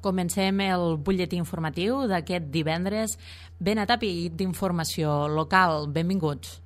Comencem el butlletí informatiu d'aquest divendres ben atapeït d'informació local. Benvinguts.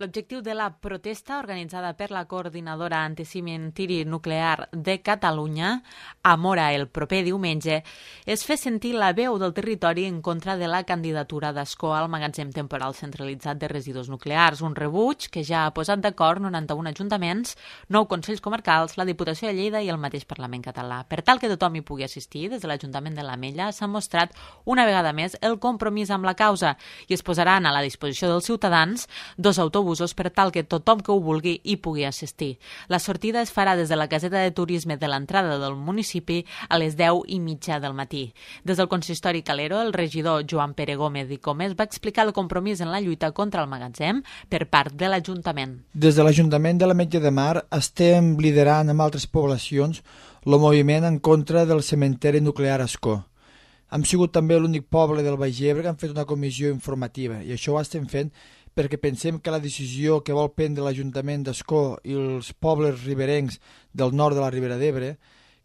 L'objectiu de la protesta organitzada per la Coordinadora Anticementiri Nuclear de Catalunya, a Móra el proper diumenge, és fer sentir la veu del territori en contra de la candidatura d'Ascó al magatzem temporal centralitzat de residus nuclears, un rebuig que ja ha posat d'acord 91 ajuntaments, 9 consells comarcals, la Diputació de Lleida i el mateix Parlament català. Per tal que tothom hi pugui assistir, des de l'Ajuntament de l'Ametlla s'ha mostrat una vegada més el compromís amb la causa i es posaran a la disposició dels ciutadans 2 autobusos per tal que tothom que ho vulgui hi pugui assistir. La sortida es farà des de la caseta de turisme de l'entrada del municipi a les 10:30 del matí. Des del consistori Calero, el regidor Joan Pere Gómez i Comes va explicar el compromís en la lluita contra el magatzem per part de l'Ajuntament. Des de l'Ajuntament de l'Ametlla de Mar estem liderant amb altres poblacions el moviment en contra del cementeri nuclear Ascó. Hem sigut també l'únic poble del Baix Ebre que han fet una comissió informativa i això ho estem fent perquè pensem que la decisió que vol prendre l'Ajuntament d'Ascó i els pobles riberencs del nord de la Ribera d'Ebre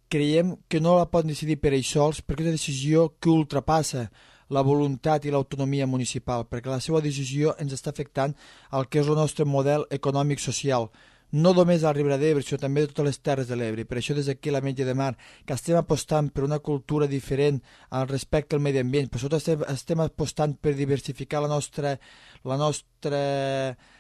creiem que no la poden decidir per ells sols perquè és una decisió que ultrapassa la voluntat i l'autonomia municipal, perquè la seva decisió ens està afectant al que és el nostre model econòmic-social, no només a la Ribera d'Ebre, sinó també de totes les terres de l'Ebre. Per això des d'aquí a l'Ametlla de Mar, que estem apostant per una cultura diferent al respecte al medi ambient, per sobretot estem apostant per diversificar la nostra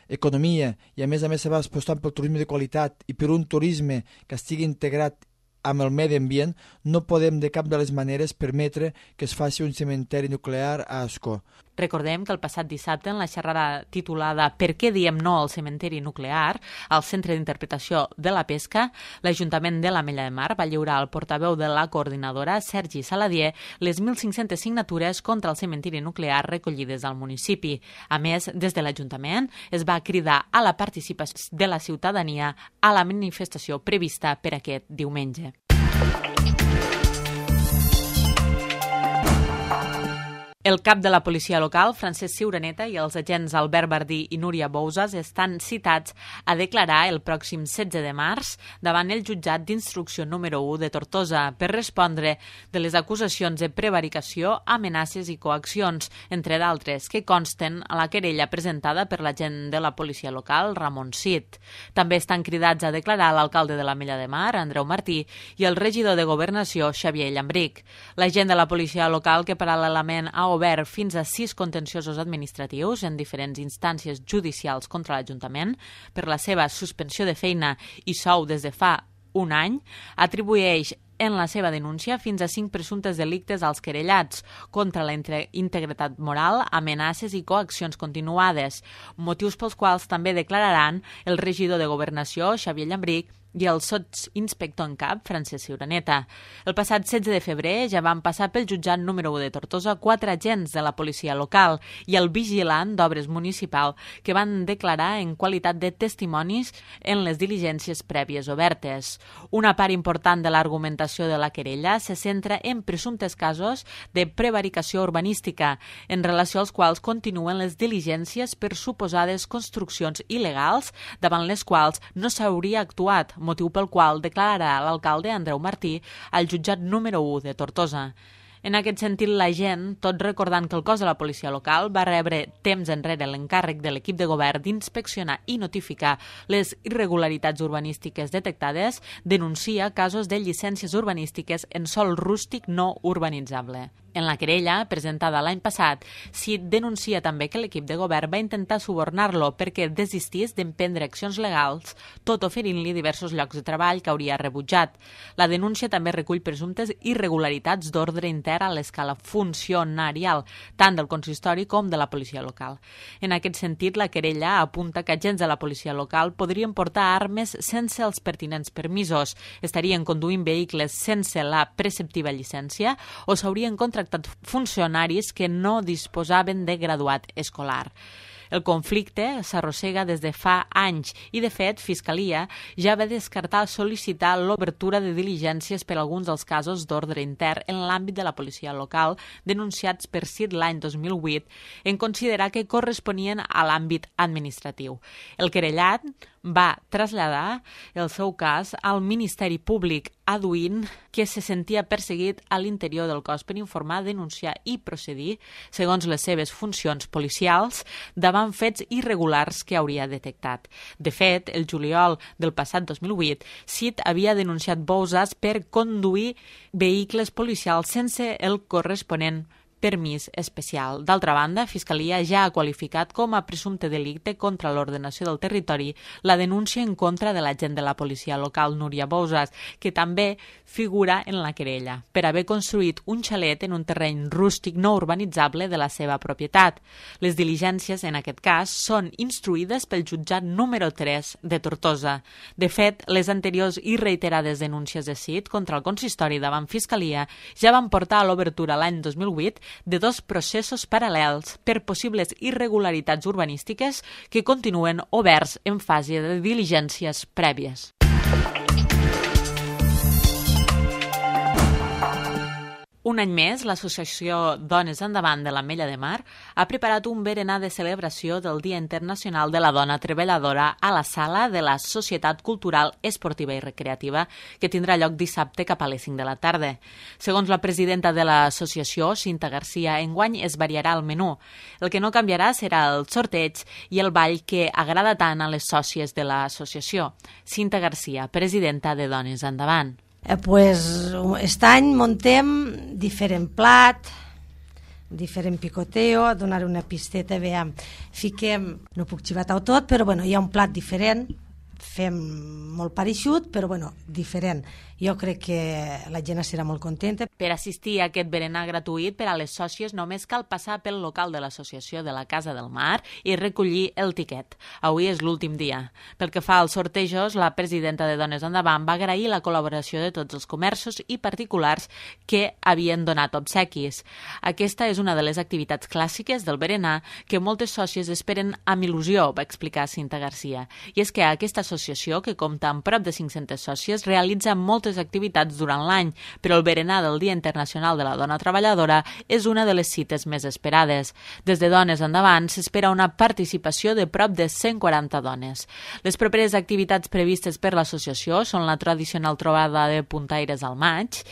economia i a més estem apostant pel turisme de qualitat i per un turisme que estigui integrat amb el medi ambient, no podem de cap de les maneres permetre que es faci un cementeri nuclear a Ascó. Recordem que el passat dissabte, en la xerrada titulada «Per què diem no al cementeri nuclear?», al Centre d'Interpretació de la Pesca, l'Ajuntament de l'Ametlla de Mar va lliurar al portaveu de la coordinadora, Sergi Saladier, les 1.500 signatures contra el cementeri nuclear recollides al municipi. A més, des de l'Ajuntament es va cridar a la participació de la ciutadania a la manifestació prevista per aquest diumenge. El cap de la policia local, Francesc Ciuraneta, i els agents Albert Bardí i Núria Bouzas estan citats a declarar el pròxim 16 de març davant el jutjat d'instrucció número 1 de Tortosa per respondre de les acusacions de prevaricació, amenaces i coaccions, entre d'altres, que consten a la querella presentada per l'agent de la policia local, Ramon Cid. També estan cridats a declarar l'alcalde de l'Ametlla de Mar, Andreu Martí, i el regidor de Governació, Xavier Llambric. L'agent de la policia local, que paral·lelament ha obert fins a 6 contenciosos administratius en diferents instàncies judicials contra l'Ajuntament per la seva suspensió de feina i sou des de fa un any, atribueix en la seva denúncia fins a 5 presumptes delictes als querellats contra la integritat moral, amenaces i coaccions continuades, motius pels quals també declararan el regidor de Governació, Xavier Llambric, i el sotsinspector en cap, Francesc Ciuraneta. El passat 16 de febrer ja van passar pel jutjat número 1 de Tortosa 4 agents de la policia local i el vigilant d'obres municipal que van declarar en qualitat de testimonis en les diligències prèvies obertes. Una part important de l'argumentació de la querella se centra en presumptes casos de prevaricació urbanística, en relació als quals continuen les diligències per suposades construccions il·legals davant les quals no s'hauria actuat, motiu pel qual declararà l'alcalde Andreu Martí al jutjat número 1 de Tortosa. En aquest sentit, la gent, tot recordant que el cos de la policia local va rebre temps enrere l'encàrrec de l'equip de govern d'inspeccionar i notificar les irregularitats urbanístiques detectades, denuncia casos de llicències urbanístiques en sòl rústic no urbanitzable. En la querella, presentada l'any passat, Cid denuncia també que l'equip de govern va intentar subornar-lo perquè desistís d'emprendre accions legals, tot oferint-li diversos llocs de treball que hauria rebutjat. La denúncia també recull presumptes irregularitats d'ordre intern a l'escala funcionarial, tant del consistori com de la policia local. En aquest sentit, la querella apunta que agents de la policia local podrien portar armes sense els pertinents permisos, estarien conduint vehicles sense la preceptiva llicència o s'haurien contractat funcionaris que no disposaven de graduat escolar. El conflicte s'arrossega des de fa anys i, de fet, Fiscalia ja va descartar sol·licitar l'obertura de diligències per alguns dels casos d'ordre intern en l'àmbit de la policia local denunciats per CID l'any 2008 en considerar que corresponien a l'àmbit administratiu. El querellat va traslladar el seu cas al Ministeri Públic, adduint que se sentia perseguit a l'interior del cos per informar, denunciar i procedir, segons les seves funcions policials, davant fets irregulars que hauria detectat. De fet, el juliol del passat 2008, CID havia denunciat Bouzas per conduir vehicles policials sense el corresponent permís especial. D'altra banda, Fiscalia ja ha qualificat com a presumpte delicte contra l'ordenació del territori la denúncia en contra de l'agent de la policia local Núria Bouzas, que també figura en la querella, per haver construït un xalet en un terreny rústic no urbanitzable de la seva propietat. Les diligències, en aquest cas, són instruïdes pel jutjat número 3 de Tortosa. De fet, les anteriors i reiterades denúncies de CID contra el consistori davant Fiscalia ja van portar a l'obertura l'any 2008 de dos processos paral·lels per possibles irregularitats urbanístiques que continuen oberts en fase de diligències prèvies. Un any més, l'associació Dones Endavant de l'Ametlla de Mar ha preparat un berenar de celebració del Dia Internacional de la Dona Treballadora a la sala de la Societat Cultural Esportiva i Recreativa, que tindrà lloc dissabte cap a les 5 de la tarda. Segons la presidenta de l'associació, Cinta Garcia, enguany es variarà el menú. El que no canviarà serà el sorteig i el ball que agrada tant a les sòcies de l'associació. Cinta Garcia, presidenta de Dones Endavant. Aquest any muntem diferent plat, diferent picoteo, donar una pisteta, fiquem, no puc xivar-ho tot, però hi ha un plat diferent, fem molt pareixut, però diferent. Jo crec que la gent serà molt contenta. Per assistir a aquest berenar gratuït per a les sòcies només cal passar pel local de l'associació de la Casa del Mar i recollir el tiquet. Avui és l'últim dia. Pel que fa als sortejos, la presidenta de Dones Endavant va agrair la col·laboració de tots els comerços i particulars que havien donat obsequis. Aquesta és una de les activitats clàssiques del berenar que moltes sòcies esperen amb il·lusió, va explicar Cinta Garcia. I és que aquesta associació, que compta amb prop de 500 sòcies, realitza moltes activitats durant l'any, però el berenar del Dia Internacional de la Dona Treballadora és una de les cites més esperades. Des de Dones Endavant s'espera una participació de prop de 140 dones. Les properes activitats previstes per l'associació són la tradicional trobada de puntaires al maig.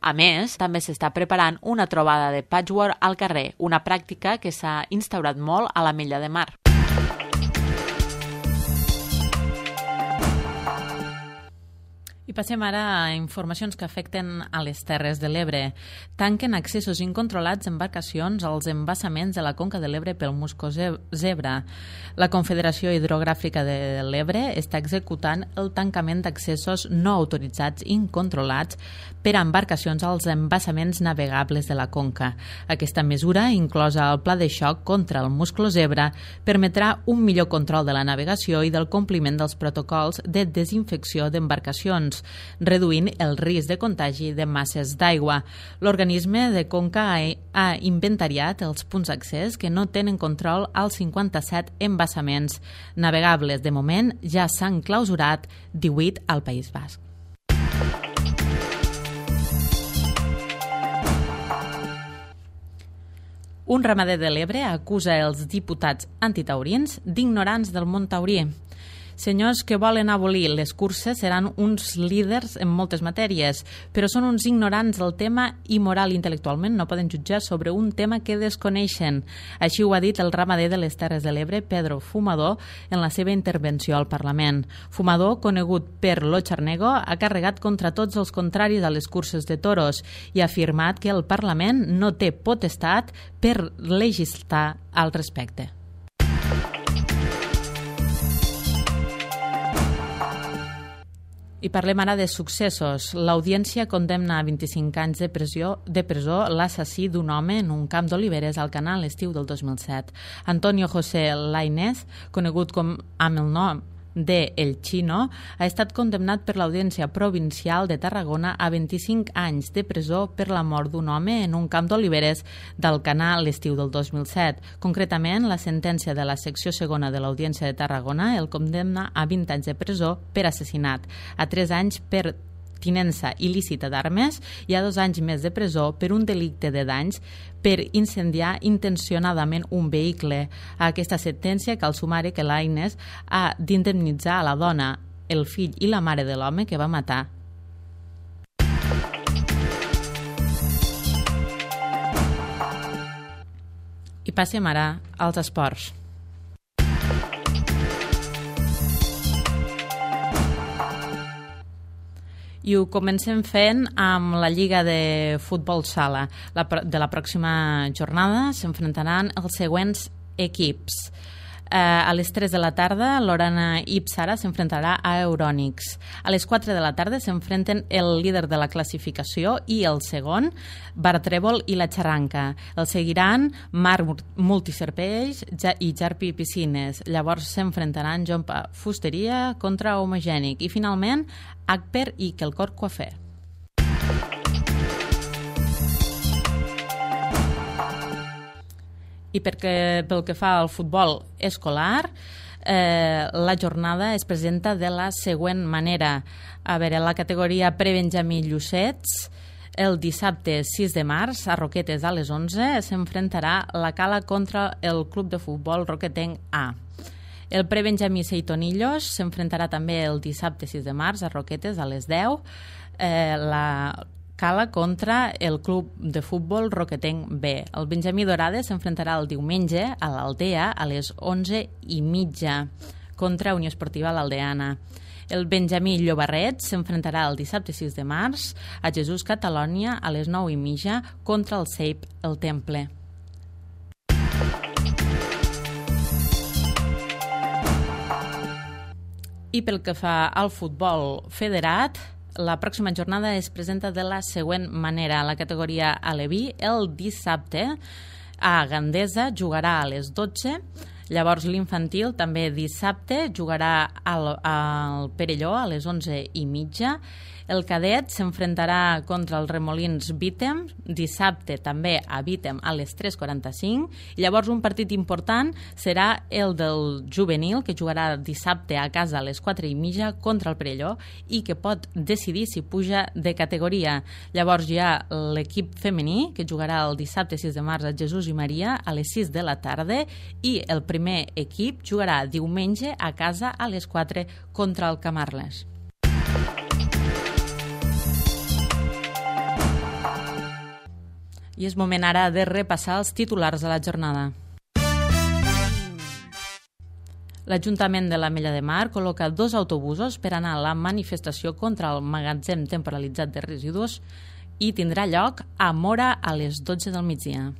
A més, també s'està preparant una trobada de patchwork al carrer, una pràctica que s'ha instaurat molt a l'Ametlla de Mar. I passem ara a informacions que afecten a les Terres de l'Ebre. Tanquen accessos incontrolats embarcacions als embassaments de la Conca de l'Ebre pel musclo zebra. La Confederació Hidrogràfica de l'Ebre està executant el tancament d'accessos no autoritzats incontrolats per a embarcacions als embassaments navegables de la Conca. Aquesta mesura, inclosa el pla de xoc contra el musclo zebra, permetrà un millor control de la navegació i del compliment dels protocols de desinfecció d'embarcacions, reduint el risc de contagi de masses d'aigua. L'organisme de Conca ha inventariat els punts d'accés que no tenen control als 57 embassaments navegables. De moment ja s'han clausurat 18 al País Basc. Un ramader de l'Ebre acusa els diputats antitaurins d'ignorants del món taurí. Senyors que volen abolir les curses seran uns líders en moltes matèries, però són uns ignorants del tema i moral intel·lectualment no poden jutjar sobre un tema que desconeixen. Així ho ha dit el ramader de les Terres de l'Ebre, Pedro Fumador, en la seva intervenció al Parlament. Fumador, conegut per Lo Charnego, ha carregat contra tots els contraris a les curses de toros i ha afirmat que el Parlament no té potestat per legislar al respecte. I parlem ara de successos. L'audiència condemna a 25 anys de presó l'assassí d'un home en un camp d'oliveres al Canal l'estiu del 2007. Antonio José Lainez, conegut amb el nom de El Chino, ha estat condemnat per l'Audiència Provincial de Tarragona a 25 anys de presó per la mort d'un home en un camp d'oliveres d'Alcanar l'estiu del 2007. Concretament, la sentència de la secció segona de l'Audiència de Tarragona el condemna a 20 anys de presó per assassinat, a 3 anys per tinença il·lícita d'armes i a 2 anys més de presó per un delicte de danys per incendiar intencionadament un vehicle. A aquesta sentència cal sumar que l'Aines ha d'indemnitzar a la dona, el fill i la mare de l'home que va matar. I passem ara als esports. I ho comencem fent amb la Lliga de Futbol Sala. De la pròxima jornada s'enfrontaran els següents equips. A les 3 de la tarda, l'Orana Ipsara s'enfrontarà a Eurònics. A les 4 de la tarda s'enfrenten el líder de la classificació i el segon, Bartrèvol i la Xarranca. El seguiran Mar Multiserveis i Jarpi Piscines. Llavors s'enfrontaran Jompa Fusteria contra Homogènic. I finalment, Agper i Quelcor Coafer. I pel que fa al futbol escolar, la jornada es presenta de la següent manera. A veure, la categoria prebenjamí Llucets, el dissabte 6 de març, a Roquetes a les 11, s'enfrontarà la Cala contra el Club de Futbol Roquetenc A. El prebenjamí Seitonillos s'enfrontarà també el dissabte 6 de març, a Roquetes a les 10, la Cala contra el Club de Futbol Roquetenc B. El Benjamí Dorades s'enfrontarà el diumenge a l'Aldea a les 11:30 contra Unió Esportiva l'Aldeana. El Benjamí Llobarret s'enfrontarà el dissabte 6 de març a Jesús Catalònia a les 9:30 contra el CEIP el Temple. I pel que fa al futbol federat, la pròxima jornada es presenta de la següent manera. La categoria aleví, el dissabte a Gandesa jugarà a les 12. Llavors l'infantil també dissabte jugarà al Perelló a les 11:30. El cadet s'enfrontarà contra els Remolins Vítem, dissabte també a Vítem a les 3:45. I llavors un partit important serà el del juvenil, que jugarà dissabte a casa a les 4:30 contra el Perelló i que pot decidir si puja de categoria. Llavors hi ha l'equip femení, que jugarà el dissabte 6 de març a Jesús i Maria a les 6 de la tarda, i el primer equip jugarà diumenge a casa a les 4 contra el Camarles. I és moment ara de repassar els titulars de la jornada. L'Ajuntament de l'Ametlla de Mar col·loca 2 autobusos per anar a la manifestació contra el magatzem temporalitzat de residus i tindrà lloc a Móra a les 12 del migdia.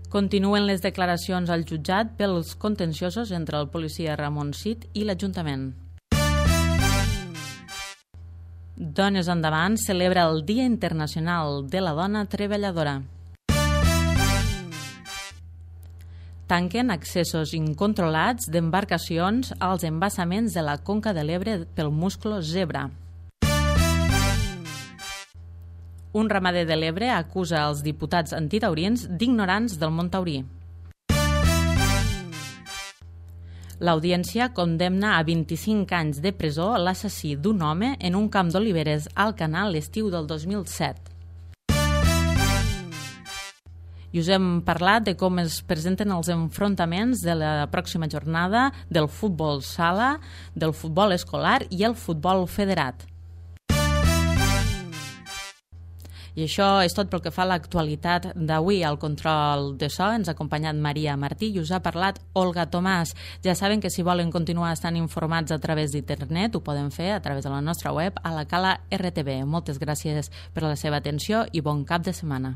Continuen les declaracions al jutjat pels contenciosos entre el policia Ramon Cid i l'Ajuntament. Dones Endavant celebra el Dia Internacional de la Dona Treballadora. Tanquen accessos incontrolats d'embarcacions als embassaments de la Conca de l'Ebre pel musclo zebra. Un ramader de l'Ebre acusa els diputats antitaurins d'ignorants del món taurí. L'Audiència condemna a 25 anys de presó l'assassí d'un home en un camp d'oliveres al Canal l'estiu del 2007. I us hem parlat de com es presenten els enfrontaments de la pròxima jornada del futbol sala, del futbol escolar i el futbol federat. I això és tot pel que fa a l'actualitat d'avui. Al control de so ens ha acompanyat Maria Martí i us ha parlat Olga Tomàs. Ja saben que si volen continuar estant informats a través d'internet ho poden fer a través de la nostra web a la Cala RTV. Moltes gràcies per la seva atenció i bon cap de setmana.